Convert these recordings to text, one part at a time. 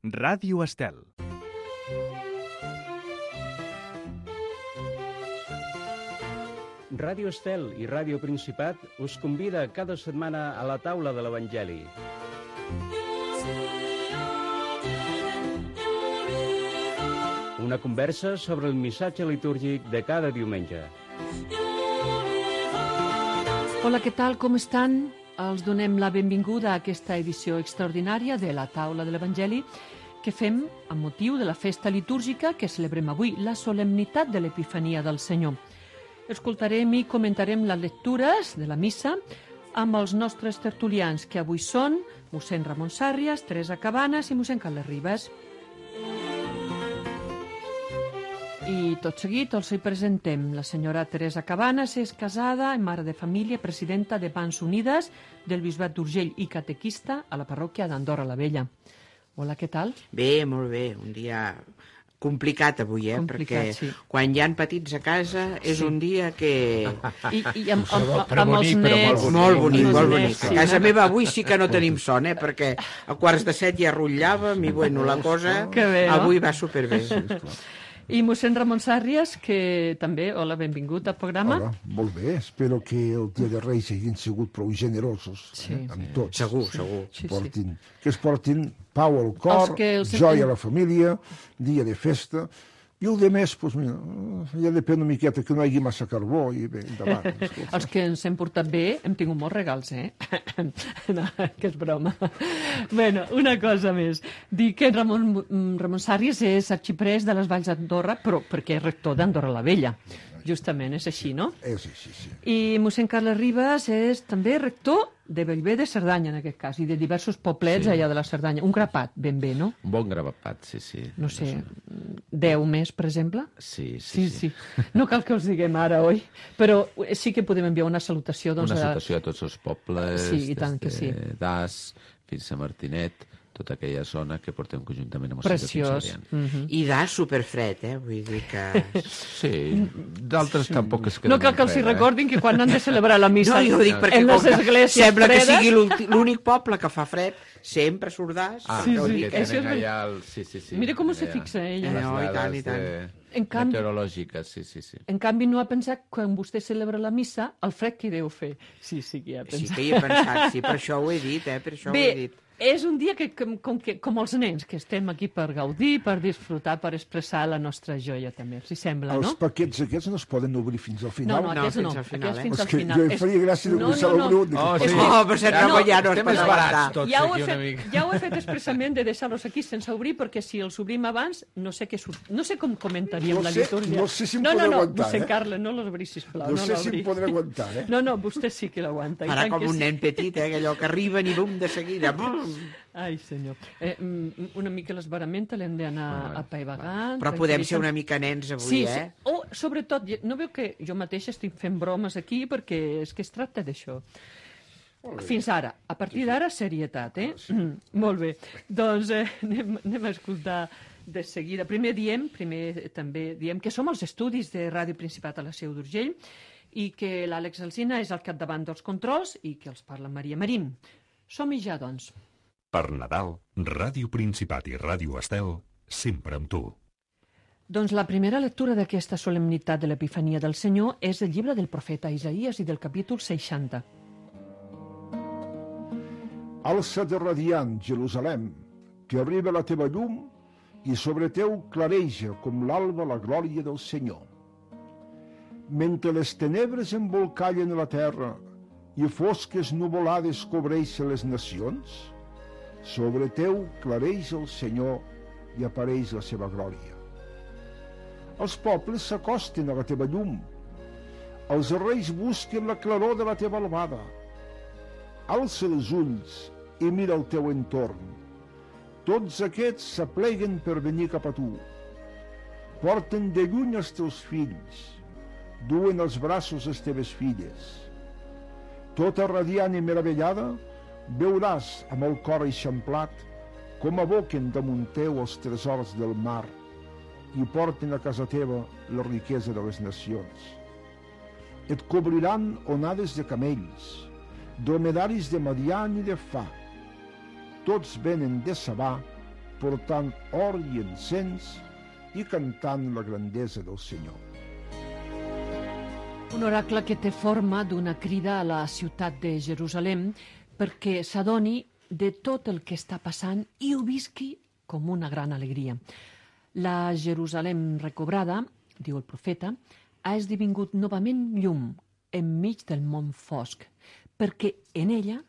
Ràdio Estel. Ràdio Estel i Ràdio Principat us convida cada setmana a la taula de l'Evangeli. Una conversa sobre el missatge litúrgic de cada diumenge. Hola, què tal? Com estan? Els donem la benvinguda a aquesta edició extraordinària de la taula de l'Evangeli que fem amb motiu de la festa litúrgica que celebrem avui, la solemnitat de l'Epifania del Senyor. Escoltarem i comentarem les lectures de la missa amb els nostres tertulians, que avui són mossèn Ramon Sàrrias, Teresa Cabanes i mossèn Carles Ribas. I tot seguit els hi presentem. La senyora Teresa Cabanes és casada, mare de família, presidenta de Mans Unides del Bisbat d'Urgell i catequista a la parròquia d'Andorra la Vella. Hola, què tal? Bé, molt bé. Un dia complicat avui, Complicat, perquè sí. quan hi ha petits a casa és un dia que... I amb els nets... Molt bonic, molt bonic. nets, A casa meva avui sí que no tenim son, perquè a 7:15 ja rotllàvem i bueno, la cosa Que bé, no? avui va superbé. I mossèn Ramon Sàrrias, que també, hola, benvingut al programa. Hola, molt bé. Espero que el dia de Reis hagin sigut prou generosos amb tots. Segur, segur. Sí, Que es portin pau al cor, joia a la família, dia de festa. I el de més, doncs mira, ja depèn una miqueta que no hi hagi massa carbó i bé, endavant. Els que ens hem portat bé hem tingut molts regals, No, que és broma. Bueno, una cosa més. Dic que Ramon Sàrrias és arxiprès de les Valls d'Andorra, però perquè és rector d'Andorra la Vella. Justament, és així, no? És així, sí. I mossèn Carles Ribas és també rector de Bellver de Cerdanya, en aquest cas, i de diversos poblets allà de la Cerdanya. Un grapat, ben bé, no? Un bon grapat, sí. No sé, 10 més, per exemple? Sí. No cal que us diguem ara, oi? Però sí que podem enviar una salutació. Doncs, una salutació a tots els pobles, sí, i tant que sí. d'As fins a Martinet, tota aquella zona que portem conjuntament amb el Preciós. I d'As superfred, vull dir que... Sí, d'altres tampoc es queden No cal que els hi recordin que quan han de celebrar la missa No, jo ho dic perquè en les esglésies sembla que fredes... sigui l'únic poble que fa fred, sempre surt d'As. Sí, que això és tenen allà el... Sí. Mira com se fixa ella. No, i tant, i tant. En canvi- Meteorològiques, sí. En canvi, no ha pensat que quan vostè celebra la missa, el fred que deu fer. Sí que hi ha Sí pensat. que hi he pensat, sí, per això ho he dit, per això ho he dit. És un dia que, com els nens, que estem aquí per gaudir, per disfrutar, per expressar la nostra joia, també. Els hi sembla, no? Els paquets aquests no es poden obrir fins al final. No, aquests no. fins al final, Aquests fins És al que final. jo em faria gràcia de començar l'obrir. però ser ja no es estem pot esbarats aguantar. tots Ja ho, aquí he una fet, mica. ja ho he fet expressament de deixar-los aquí sense obrir, perquè si els obrim abans, no sé què surt. No sé com comentaríem la litúrgia. no sé si em podré aguantar, mossèn Carles, no l'obri, sisplau. No sé si em podré aguantar, No, vostè sí que l'aguanta. Farà com un nen petit, allò que arriben i bum, de seguida. Bum. Ai, senyor. Una mica l'esbarament l'hem d'anar apaivagant. Però podem ser una mica nens avui, Sí. O, sobretot, no veu que jo mateixa estic fent bromes aquí perquè és que es tracta d'això. Fins ara. A partir d'ara, serietat, Molt bé. Doncs anem a escoltar de seguida. Primer també diem que som als estudis de Ràdio Principat a la Seu d'Urgell i que l'Àlex Alsina és al capdavant dels controls i que els parla Maria Marín. Som-hi ja, doncs. Per Nadal, Ràdio Principat i Ràdio Estel, sempre amb tu. Doncs la primera lectura d'aquesta solemnitat de l'Epifania del Senyor és el llibre del profeta Isaïes i del capítol 60. Alça't radiant, Jerusalem, que arriba la teva llum i sobre teu clareja com l'alba la glòria del Senyor. Mentre les tenebres embolcallen la terra i fosques nuvolades cobreixen les nacions, sobre teu clareix el Senyor i apareix la seva glòria. Els pobles s'acosten a la teva llum, els reis busquen la claror de la teva albada. Alça els ulls i mira el teu entorn. Tots aquests s'apleguen per venir cap a tu. Porten de lluny els teus fills, duen als braços les teves filles. Tota radiant i meravellada, veuràs amb el cor eixamplat com aboquen damunt teu els tresors del mar i porten a casa teva la riquesa de les nacions. Et cobriran onades de camells, dromedaris de Madian i de Fa. Tots venen de Sabà portant or i encens i cantant la grandesa del Senyor. Un oracle que té forma d'una crida a la ciutat de Jerusalem perquè s'adoni de tot el que està passant i ho visqui com una gran alegria. La Jerusalem recobrada, diu el profeta, ha esdevingut novament llum enmig del món fosc, perquè en ella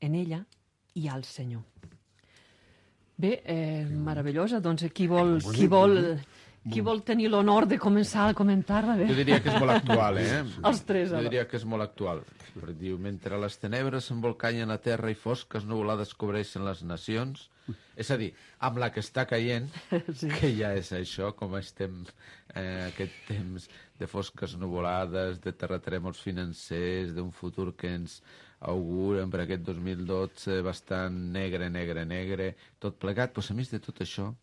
hi ha el Senyor. Bé, meravellosa, doncs qui vol tenir l'honor de començar a comentar-la? Jo diria que és molt actual, Els tres, Jo ara. diria que és molt actual. Perquè diu, mentre les tenebres s'embolcanyen la terra i fosques nuvolades cobreixen les nacions, és a dir, amb la que està caient, Sí. que ja és això, com estem aquest temps de fosques nuvolades, de terratrèmols financers, d'un futur que ens auguren per aquest 2012 bastant negre, tot plegat. Doncs a més de tot això,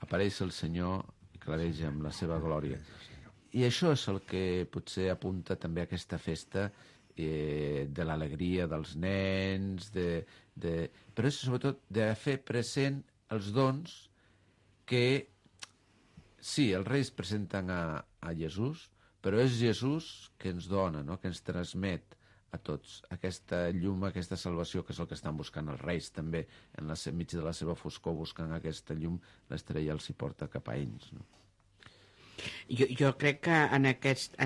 apareix el Senyor i clareja amb la seva glòria. I això és el que potser apunta també a aquesta festa de l'alegria dels nens, però és sobretot de fer present els dons que, sí, els reis presenten a Jesús, però és Jesús que ens dona, no? Que ens transmet a tots aquesta llum, aquesta salvació, que és el que estan buscant els reis també, enmig de la seva foscor, buscant aquesta llum, l'estrella els hi porta cap a ells, no? Jo crec que en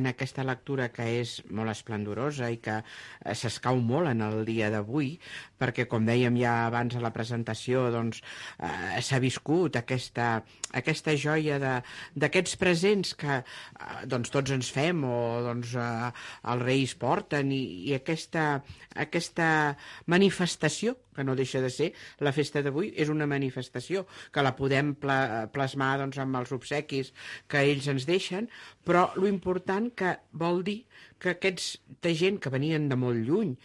aquesta lectura, que és molt esplendorosa i que s'escau molt en el dia d'avui, perquè, com dèiem ja abans a la presentació, doncs, s'ha viscut aquesta joia d'aquests presents que doncs, tots ens fem o doncs, els reis porten, i aquesta manifestació, que no deixa de ser, la festa d'avui és una manifestació, que la podem plasmar doncs, amb els obsequis que ells ens deixen, però lo important que vol dir que aquesta gent que venien de molt lluny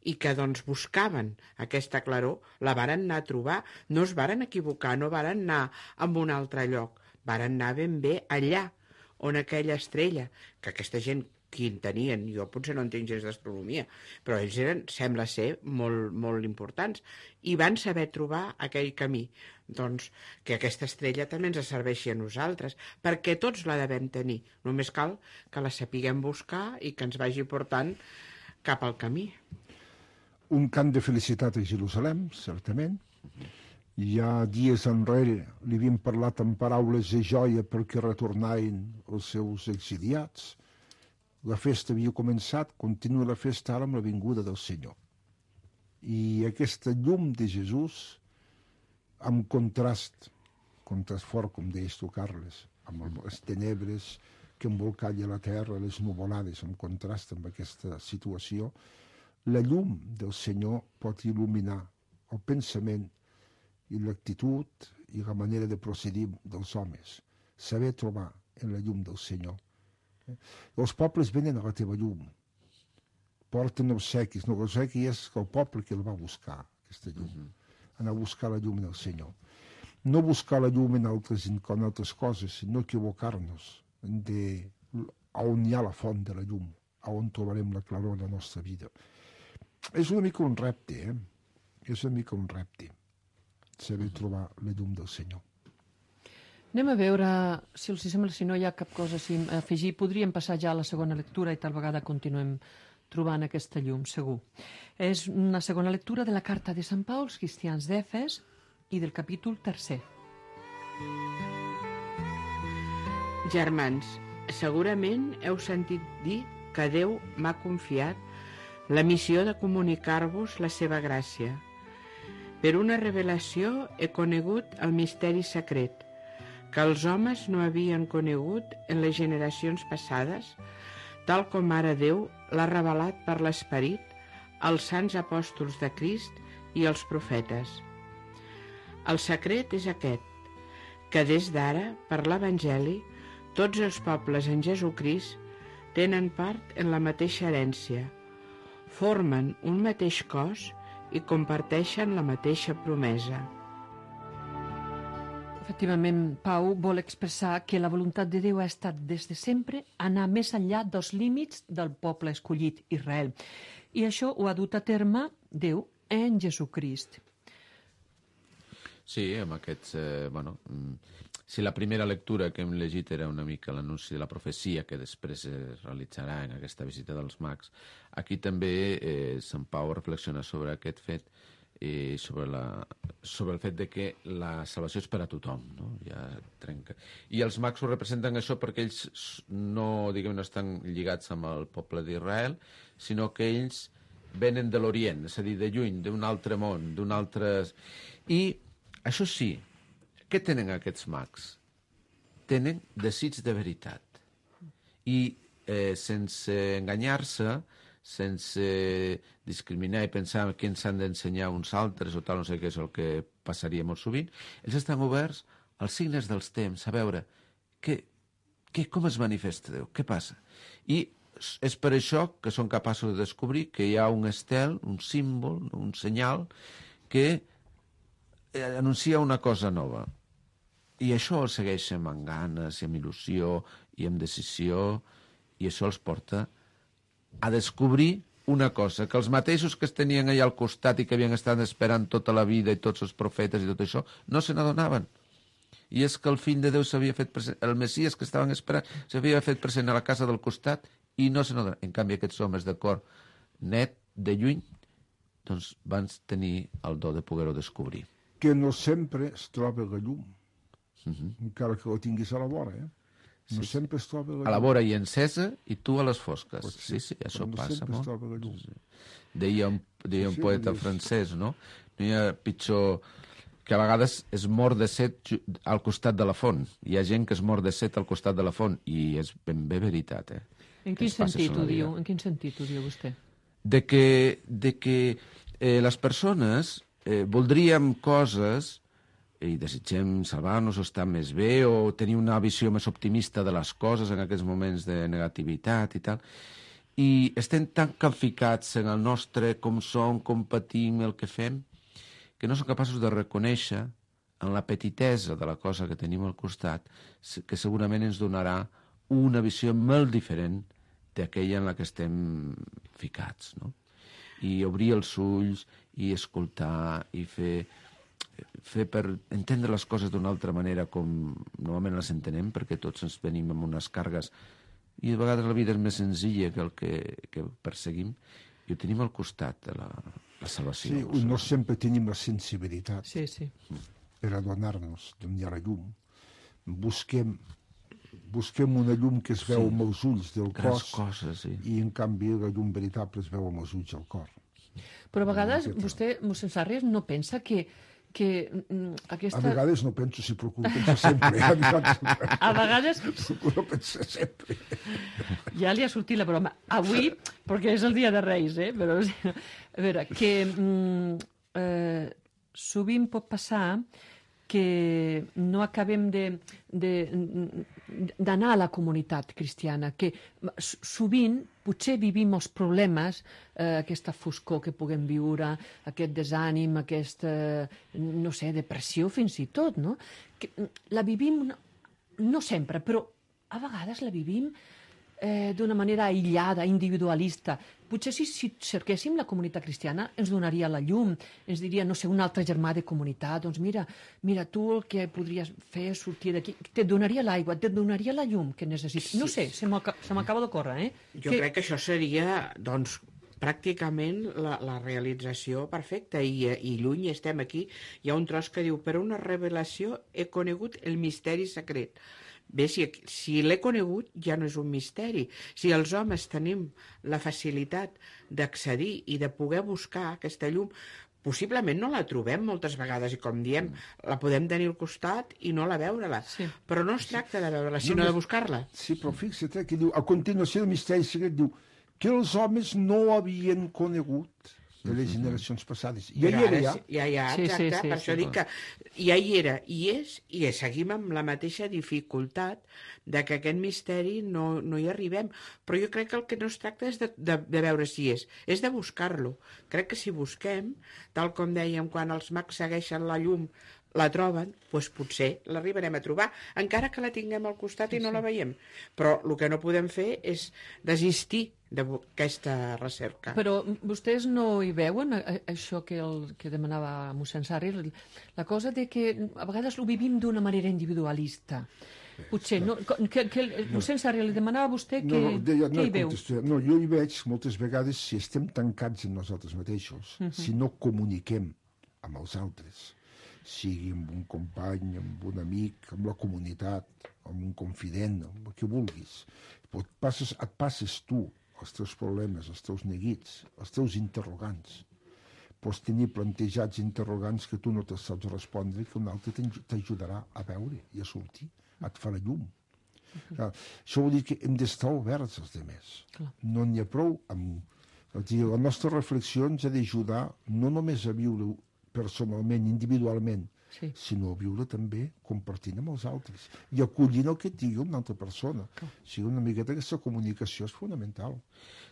i que doncs, buscaven aquesta claror, la varen anar a trobar, no es varen equivocar, no varen anar a un altre lloc, varen anar ben bé allà on aquella estrella, que aquesta gent qui en tenien, jo potser no entenc gens d'astronomia, però ells eren, sembla ser, molt, molt importants, i van saber trobar aquell camí. Doncs que aquesta estrella també ens serveixi a nosaltres, perquè tots la devem tenir, només cal que la sapiguem buscar i que ens vagi portant cap al camí. Un cant de felicitat a Jerusalem, certament. Ja dies enrere li havien parlat amb paraules de joia perquè retornaven els seus exiliats. La festa havia començat, continua la festa ara amb la vinguda del Senyor. I aquesta llum de Jesús, amb contrast fort, com deies tu, Carles, amb les tenebres que embolcalla la terra, les nuvolades, en contrast amb aquesta situació, la llum del Senyor pot il·luminar el pensament i l'actitud i la manera de procedir dels homes. Saber trobar en la llum del Senyor. Els pobles venen a la teva llum, porten obsequis. No, l'obsequi és el poble que el va buscar, aquesta llum. Anar a buscar la llum del Senyor. No buscar la llum en altres coses, sinó equivocar-nos on hi ha la font de la llum, on trobarem la claror de la nostra vida. És una mica un repte, És una mica un repte, saber trobar la llum del Senyor. Anem a veure, si els sembla, si no hi ha cap cosa a afegir. Podríem passar ja a la segona lectura i tal vegada continuem trobant aquesta llum, segur. És una segona lectura de la carta de Sant Pau als cristians d'Efes i del capítol 3. Germans, segurament heu sentit dir que Déu m'ha confiat la missió de comunicar-vos la seva gràcia. Per una revelació he conegut el misteri secret, que els homes no havien conegut en les generacions passades, tal com ara Déu l'ha revelat per l'Esperit als sants apòstols de Crist i als profetes. El secret és aquest, que des d'ara, per l'Evangeli, tots els pobles en Jesucrist tenen part en la mateixa herència, formen un mateix cos i comparteixen la mateixa promesa. Efectivament, Pau vol expressar que la voluntat de Déu ha estat des de sempre anar més enllà dels límits del poble escollit, Israel. I això ho ha dut a terme Déu en Jesucrist. Sí, amb aquests... si la primera lectura que hem llegit era una mica l'anunci de la profecia que després es realitzarà en aquesta visita dels mags, aquí també Sant Pau reflexiona sobre aquest fet i sobre el fet de que la salvació és per a tothom, no? Ja trenca. I els mags ho representen això perquè ells no, diguem, no estan lligats amb el poble d'Israel, sinó que ells venen de l'Orient, és a dir, de lluny, d'un altre món, d'un altre... I, això sí, què tenen aquests mags? Tenen desig de veritat. I sense enganyar-se, sense discriminar i pensar que ens han d'ensenyar uns altres o tal, no sé què és el que passaria molt sovint, ells estan oberts als signes dels temps, a veure com es manifesta Déu, què passa? I és per això que són capaços de descobrir que hi ha un estel, un símbol, un senyal, que anuncia una cosa nova. I això els segueixen amb ganes i amb il·lusió i amb decisió, i això els porta a descobrir una cosa, que els mateixos que es tenien allà al costat i que havien estat esperant tota la vida i tots els profetes i tot això, no se n'adonaven. I és que el fill de Déu s'havia fet present, el Messies que estaven esperant s'havia fet present a la casa del costat i no se n'adonaven. En canvi, aquests homes de cor net, de lluny, doncs van tenir el do de poder-ho descobrir. Que no sempre es troba la llum, encara que ho tinguis a la vora, No sempre es troba la llum. A la vora i encesa i tu a les fosques. Sí, això no passa sempre molt. es troba la llum. Deia un poeta francès, no? No hi ha pitjor que a vegades es mor de set al costat de la font. Hi ha gent que es mor de set al costat de la font i és ben bé veritat, En quin sentit ho diu? En quin sentit ho diu vostè? De que les persones voldríem coses i desitgem salvar-nos o estar més bé o tenir una visió més optimista de les coses en aquests moments de negativitat i tal, i estem tan calficats en el nostre com som, com patim, el que fem, que no som capaços de reconèixer en la petitesa de la cosa que tenim al costat, que segurament ens donarà una visió molt diferent d'aquella en la que estem ficats, no? I obrir els ulls i escoltar i fer per entendre les coses d'una altra manera com normalment les entenem, perquè tots ens venim amb unes càrregues i a vegades la vida és més senzilla que el que perseguim i ho tenim al costat de la salvació. Sí, no sempre tenim la sensibilitat per adonar-nos d'on hi ha la llum. Busquem una llum que es veu amb els ulls del cos i en canvi la llum veritable es veu amb els ulls del cor. Però a vegades vostè, mossèn Sarrias, no pensa que aquesta... A vegades no penso, si procuro pensar sempre. A vegades... Procuro pensar sempre. Ja li ha sortit la broma. Avui, perquè és el dia de Reis, però... A veure, que sovint pot passar que no acabem d'anar a la comunitat cristiana, que sovint potser vivim els problemes, aquesta foscor que puguem viure, aquest desànim, aquesta, no sé, depressió fins i tot, no? Que la vivim, no sempre, però a vegades la vivim d'una manera aïllada, individualista. Potser si cerquéssim la comunitat cristiana ens donaria la llum, ens diria, no sé, un altre germà de comunitat, doncs mira, tu el que podries fer és sortir d'aquí, te donaria l'aigua, te donaria la llum que necessites. No sé, se m'acaba d'ocórrer, Jo crec que això seria, doncs, pràcticament la realització perfecta i lluny estem aquí. Hi ha un tros que diu, per una revelació he conegut el misteri secret. Bé, si l'he conegut ja no és un misteri. Si els homes tenim la facilitat d'accedir i de poder buscar aquesta llum, possiblement no la trobem moltes vegades i, com diem, la podem tenir al costat i no la veure-la. Però no es tracta de veure-la, sinó de buscar-la. Sí, però fixa't que diu, a continuació del misteri secret, diu que els homes no havien conegut de les generacions passades. Ja hi era, ja. Exacte. Per això dic que ja hi era, i seguim amb la mateixa dificultat de que aquest misteri no hi arribem. Però jo crec que el que no es tracta és de veure si és de buscar-lo. Crec que si busquem, tal com dèiem, quan els mags segueixen la llum la troben, doncs potser l'arribarem a trobar, encara que la tinguem al costat i no la veiem. Però el que no podem fer és desistir d'aquesta recerca. Però vostès no hi veuen això que demanava mossèn Sarri, la cosa de que a vegades ho vivim d'una manera individualista. Potser, no, que mossèn Sarri li demanava a vostè què hi veu? No, jo hi veig moltes vegades si estem tancats en nosaltres mateixos, si no comuniquem amb els altres, sigui amb un company, amb un amic, amb la comunitat, amb un confident, amb el que vulguis. Et passes tu els teus problemes, els teus neguits, els teus interrogants. Pots tenir plantejats interrogants que tu no te saps respondre, que un altre t'ajudarà a veure i a sortir, et farà llum. Això vol dir que hem d'estar oberts als altres. No n'hi ha prou la nostra reflexió ens ha d'ajudar no només a viure personalment, individualment, sinó a viure també compartint amb els altres i acollint el que et digui una altra persona. O sigui, una miqueta aquesta comunicació és fonamental.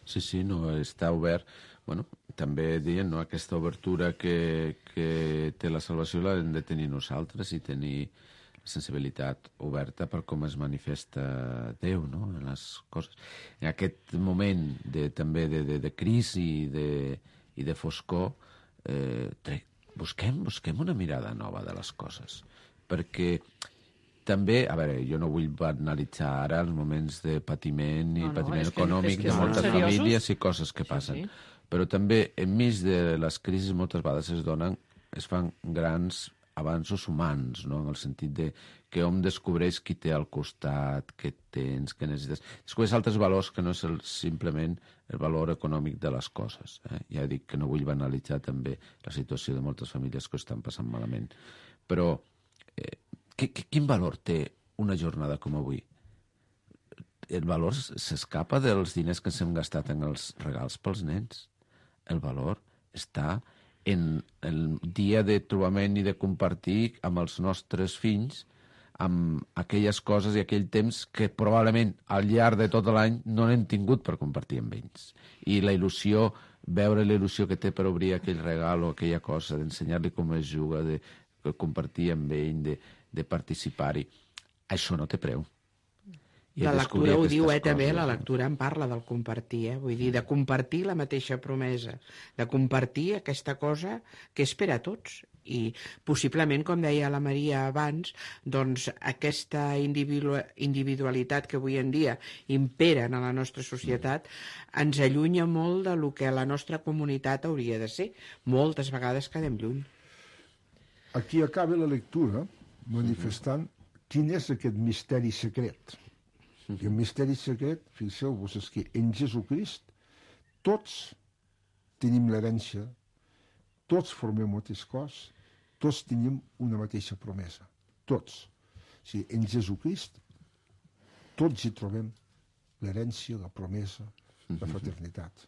Sí, no, està obert. Bueno, també deien, no, aquesta obertura que té la salvació l'hem de tenir nosaltres i tenir sensibilitat oberta per com es manifesta Déu, no?, en les coses. En aquest moment també de crisi i de foscor, busquem una mirada nova de les coses, perquè també, a veure, jo no vull banalitzar ara els moments de patiment i patiment econòmic de moltes famílies i coses que passen, però també enmig de les crisis moltes vegades es fan grans avanços humans, no?, en el sentit de que hom descobreix qui té al costat, què tens, què necessites. Descobreix altres valors que no és simplement el valor econòmic de les coses. Ja dic que no vull banalitzar també la situació de moltes famílies que ho estan passant malament. Però quin valor té una jornada com avui? El valor s'escapa dels diners que ens hem gastat en els regals pels nens. El valor està en el dia de trobament i de compartir amb els nostres fills amb aquelles coses i aquell temps que probablement al llarg de tot l'any no n'hem tingut per compartir amb ells. I la il·lusió, veure la il·lusió que té per obrir aquell regal o aquella cosa, d'ensenyar-li com es juga, de compartir amb ell, de participar-hi, això no té preu. La lectura ho diu, també, la lectura en parla del compartir, vull dir, de compartir la mateixa promesa, de compartir aquesta cosa que és per a tots. I possiblement, com deia la Maria abans, doncs aquesta individualitat que avui en dia impera en la nostra societat ens allunya molt de lo que la nostra comunitat hauria de ser. Moltes vegades quedem lluny. Aquí acaba la lectura manifestant quin és aquest misteri secret. I el misteri secret, fixeu-vos, és que en Jesucrist tots tenim l'herència, tots formem un mateix cos, tots tenim una mateixa promesa. Tots. O sigui, en Jesucrist tots hi trobem l'herència, la promesa, la fraternitat.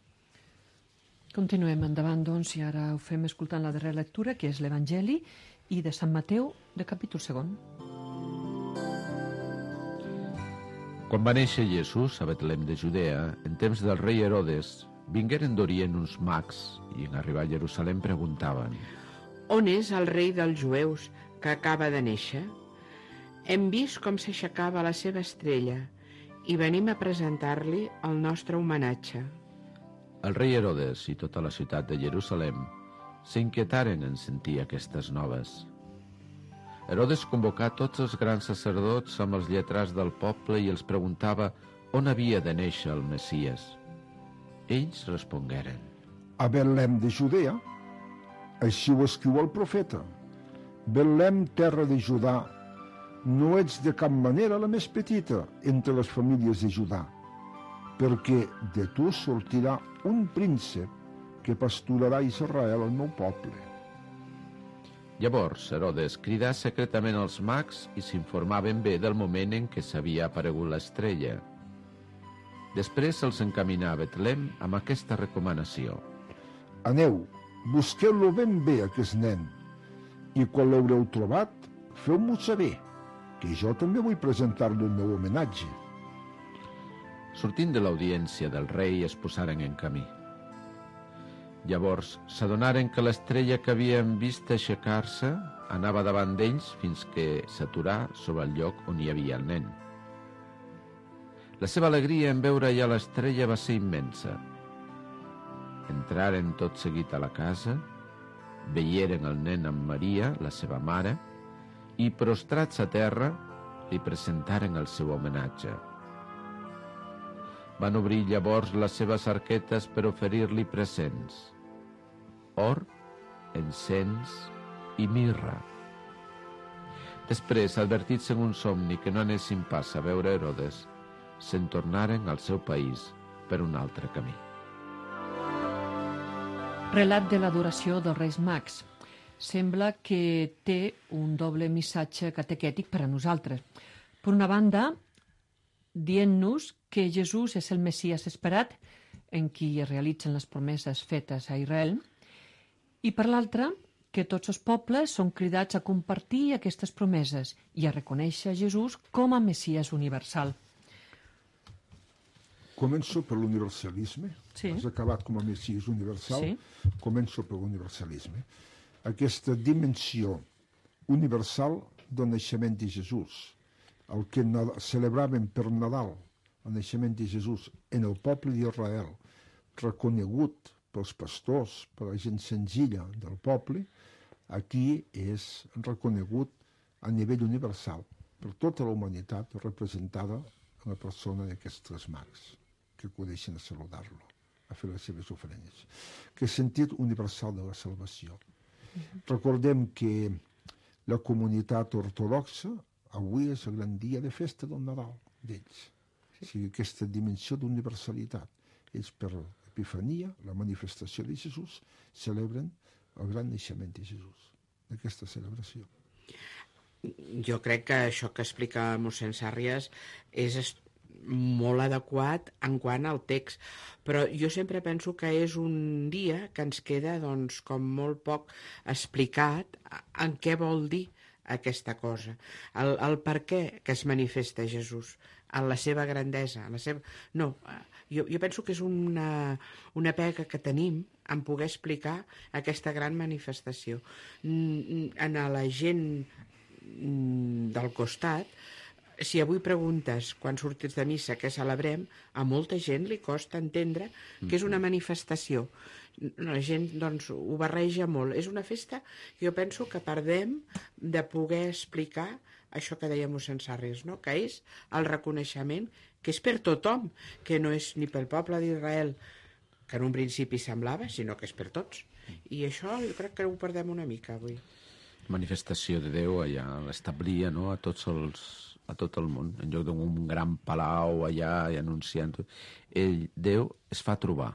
Continuem endavant, doncs, i ara ho fem escoltant la darrera lectura, que és l'Evangeli i de Sant Mateu, de capítol 2. Quan va néixer Jesús a Betlem de Judea, en temps del rei Herodes, vingueren d'Orient uns mags i en arribar a Jerusalem preguntaven: On és el rei dels jueus que acaba de néixer? Hem vist com s'aixecava la seva estrella i venim a presentar-li el nostre homenatge. El rei Herodes i tota la ciutat de Jerusalem s'inquietaren en sentir aquestes noves. Herodes convocà tots els grans sacerdots amb els lletrats del poble i els preguntava on havia de néixer el Messies. Ells respongueren: A Betlem de Judea, així ho escriu el profeta. Betlem, terra de Judà, no ets de cap manera la més petita entre les famílies de Judà, perquè de tu sortirà un príncep que pasturarà Israel, el meu poble. Llavors Herodes cridà secretament els mags i s'informaven bé del moment en què s'havia aparegut l'estrella. Després se'ls encaminà a Betlem amb aquesta recomanació: Aneu, busqueu-lo ben bé, aquest nen, i quan l'haureu trobat, feu-m'ho saber, que jo també vull presentar-li el meu homenatge. Sortint de l'audiència del rei es posaren en camí. Llavors s'adonaren que l'estrella que havien vist aixecar-se anava davant d'ells fins que s'aturà sobre el lloc on hi havia el nen. La seva alegria en veure ja l'estrella va ser immensa. Entraren tot seguit a la casa, veieren el nen amb Maria, la seva mare, i prostrats a terra li presentaren el seu homenatge. Van obrir llavors les seves arquetes per oferir-li presents: or, encens i mirra. Després, advertits en un somni que no anessin pas a veure Herodes, se'n tornaren al seu país per un altre camí. Relat de l'adoració dels Reis Mags. Sembla que té un doble missatge catequètic per a nosaltres. Per una banda, dient-nos que Jesús és el Messies esperat, en qui es realitzen les promeses fetes a Israel, i per l'altra, que tots els pobles són cridats a compartir aquestes promeses i a reconèixer Jesús com a Messies universal. Començo per l'universalisme. Sí. Has acabat com a Messies universal. Sí. Començo per l'universalisme. Aquesta dimensió universal del naixement de Jesús, el que celebraven per Nadal, el naixement de Jesús en el poble d'Israel, reconegut pels pastors, per la gent senzilla del poble, aquí és reconegut a nivell universal per tota la humanitat representada en la persona d'aquests tres mags que acudeixen a saludar-lo, a fer les seves ofrenes. Que sentit universal de la salvació. Recordem que la comunitat ortodoxa avui és el gran dia de festa del Nadal d'ells. O sigui, aquesta dimensió d'universalitat. Ells per l'Epifania, la manifestació de Jesús, celebren el gran naixement de Jesús, d'aquesta celebració. Jo crec que això que explica mossèn Sàrries és molt adequat en quant al text, però jo sempre penso que és un dia que ens queda doncs, com molt poc explicat en què vol dir aquesta cosa, el per què que es manifesta Jesús, en la seva grandesa, en la seva... No, jo penso que és una pega que tenim en poder explicar aquesta gran manifestació. En la gent del costat, si avui preguntes quan sortits de missa què celebrem, a molta gent li costa entendre que és una manifestació. La gent doncs, ho barreja molt. És una festa que jo penso que perdem de poder explicar això que deia mossèn Sàrries, no? Que és el reconeixement que és per tothom, que no és ni pel poble d'Israel, que en un principi semblava, sinó que és per tots. I això jo crec que ho perdem una mica avui. Manifestació de Déu allà l'establia, no?, a tot el món, en lloc d'un gran palau allà i anunciant tot. Déu es fa trobar.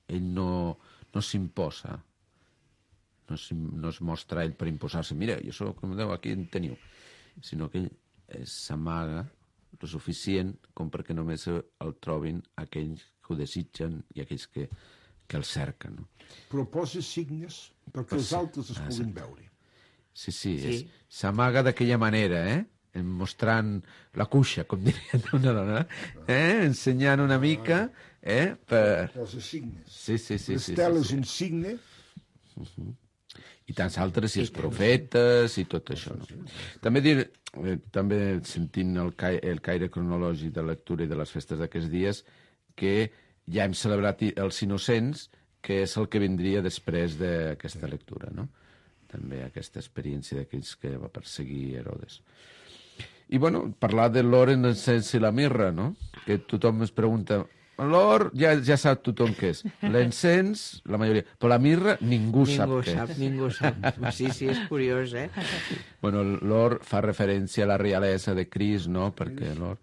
Ell no s'imposa, no es mostra ell per imposar-se. Mira, jo soc com Déu, aquí en teniu. Sinó que ell s'amaga lo suficient com perquè només el trobin aquells que ho desitgen i aquells que el cerquen. No? Proposa signes perquè els altres es puguin veure. Sí. S'amaga d'aquella manera, mostrant la cuixa, com dirien una dona, ensenyant una mica, Posa signes. Sí. L'estel és un signe. I tants altres, i els profetes, i tot això. No? També sentint el caire cronològic de lectura i de les festes d'aquests dies, que ja hem celebrat els innocents, que és el que vindria després d'aquesta lectura, no? També aquesta experiència d'aquells que va perseguir Herodes. I, bueno, parlar de l'or, l'encens i la mirra, no? Que tothom es pregunta... L'or ja sap tothom què és. L'encens, la majoria. Però la mirra ningú sap què és. Ningú sap. Sí, és curiós, Bueno, l'or fa referència a la realesa de Crist, no? Perquè l'or...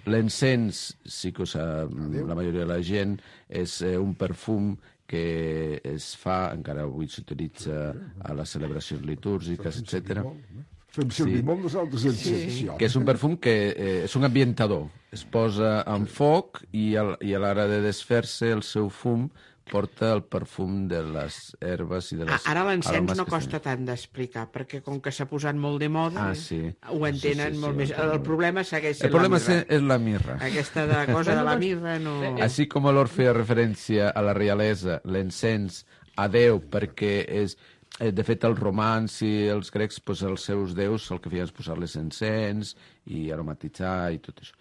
L'encens, sí que ho sap la majoria de la gent, és un perfum que es fa, encara avui s'utilitza a les celebracions litúrgiques, etc. Fem servir molt nosaltres l'encens. Que és un perfum que és un ambientador. Es posa en foc i a l'hora de desfer-se el seu fum porta el perfum de les herbes i de les Ara l'encens aromes no que costa tenen. tant d'explicar, perquè com que s'ha posat molt de moda, Sí. ho entenen molt més. El problema segueix El sent problema la mirra. és la mirra. Aquesta cosa de la mirra no... Així com l'or feia referència a la realesa, l'encens a Déu, perquè és... De fet, els romans i els grecs, doncs, els seus déus, el que feien és posar-les encens i aromatitzar i tot això.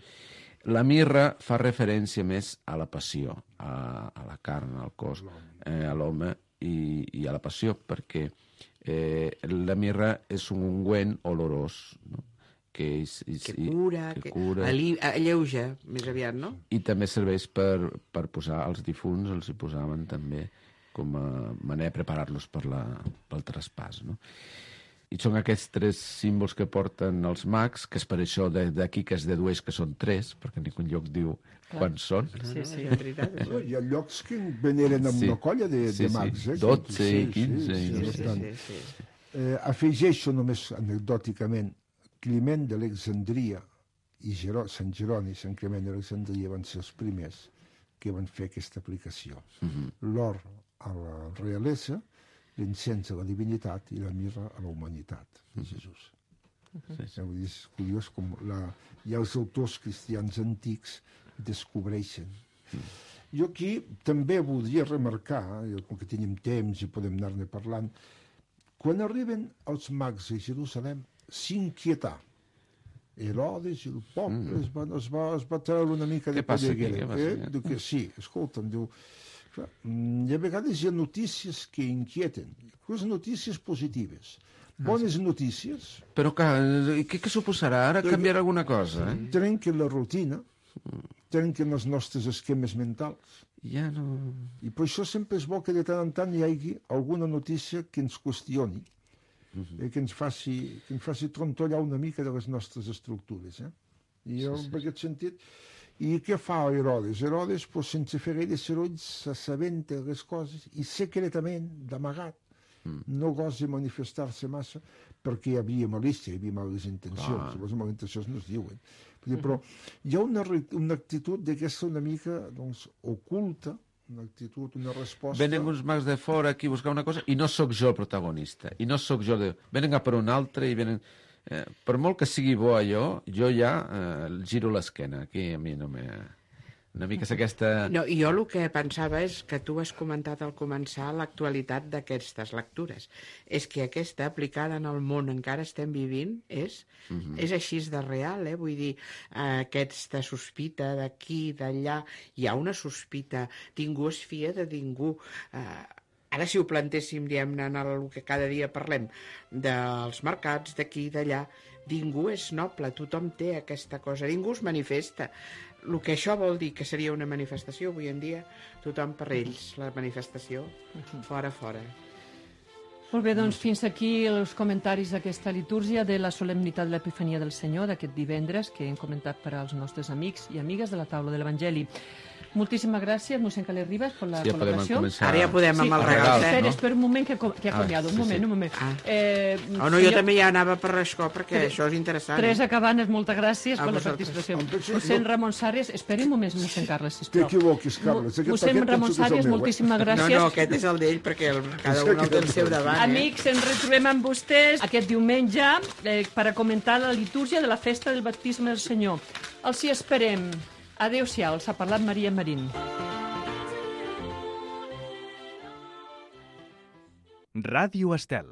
La mirra fa referència més a la passió, a la carn, al cos, a l'home i a la passió, perquè la mirra és un ungüent olorós, no? que cura, alleuja, més aviat, no? I també serveix per posar als difunts, els hi posaven també com a manera de preparar-los pel traspàs, no? I són aquests 3 símbols que porten els mags, que és per això d'aquí que es dedueix que són 3, perquè ningú lloc diu quants són. Sí, sí. És veritat. Hi ha llocs que veneren amb una colla de mags. 12 i 15. Sí. Afegeixo només anecdòticament Climent d'Alexandria i Sant Jeroni i Sant Climent d'Alexandria van ser els primers que van fer aquesta aplicació. L'or a la realesa, l'encens a la divinitat i la mirra a la humanitat de Jesús. És curiós com ja els autors cristians antics descobreixen. Jo aquí també voldria remarcar, com que tenim temps i podem anar-ne parlant, quan arriben els mags a Jerusalem, s'inquietà. Herodes i el poble es va treure una mica de polleguera. Sí, escolta'm, diu... I a vegades hi ha notícies que inquieten, les notícies positives. Bones notícies... Però què suposarà ara canviar alguna cosa? Trenquen la rutina, trenquen els nostres esquemes mentals. Ja no... I per això sempre és bo que de tant en tant hi hagi alguna notícia que ens qüestioni, que ens faci trontollar una mica de les nostres estructures. I jo, en aquest sentit... I què fa Herodes? Herodes, sense fer gaire soroll, s'assabenta les coses i secretament, d'amagat, no gosa manifestar-se massa perquè hi havia malícia, hi havia males intencions. Les males intencions no es diuen. Però hi ha una actitud d'aquesta una mica oculta, una actitud, una resposta... Venen uns mags de fora aquí a buscar una cosa i no sóc jo el protagonista. I no sóc jo... Venen a per un altre i venen... per molt que sigui bo allò, jo ja giro l'esquena. Aquí a mi no me... Una mica és aquesta... No, i jo el que pensava és que tu has comentat al començar l'actualitat d'aquestes lectures. És que aquesta, aplicada en el món encara estem vivint, és així de real, Vull dir, aquesta sospita d'aquí, d'allà, hi ha una sospita, ningú es fia de ningú. Ara, si ho plantéssim, diguem-ne, en el que cada dia parlem, dels mercats, d'aquí, d'allà, ningú és noble, tothom té aquesta cosa, ningú es manifesta. El que això vol dir que seria una manifestació, avui en dia, tothom per ells, la manifestació, fora. Molt bé, doncs fins aquí els comentaris d'aquesta litúrgia de la solemnitat de l'Epifania del Senyor d'aquest divendres que hem comentat per als nostres amics i amigues de la taula de l'Evangeli. Moltíssimes gràcies, mossèn Calé Ribas, per la col·laboració. Ara ja podem amb el regal. Espera un moment, que ha canviat. Un moment. No, jo també ja anava per això, perquè això és interessant. Teresa Cabanes, moltes gràcies per la participació. Mossèn Ramon Sàries, esperi un moment, mossèn Carles, sisplau. T'equivoquis, Carles. Mossèn Ramon Sàries, moltíssimes gràcies. No, aquest és el d'ell, perquè cada un el té el seu davant. Amics, ens retrobem amb vostès aquest diumenge per a comentar la litúrgia de la festa del baptisme del Senyor. Els hi esperem. Adéu-siau, els ha parlat Maria Marín. Ràdio Estel.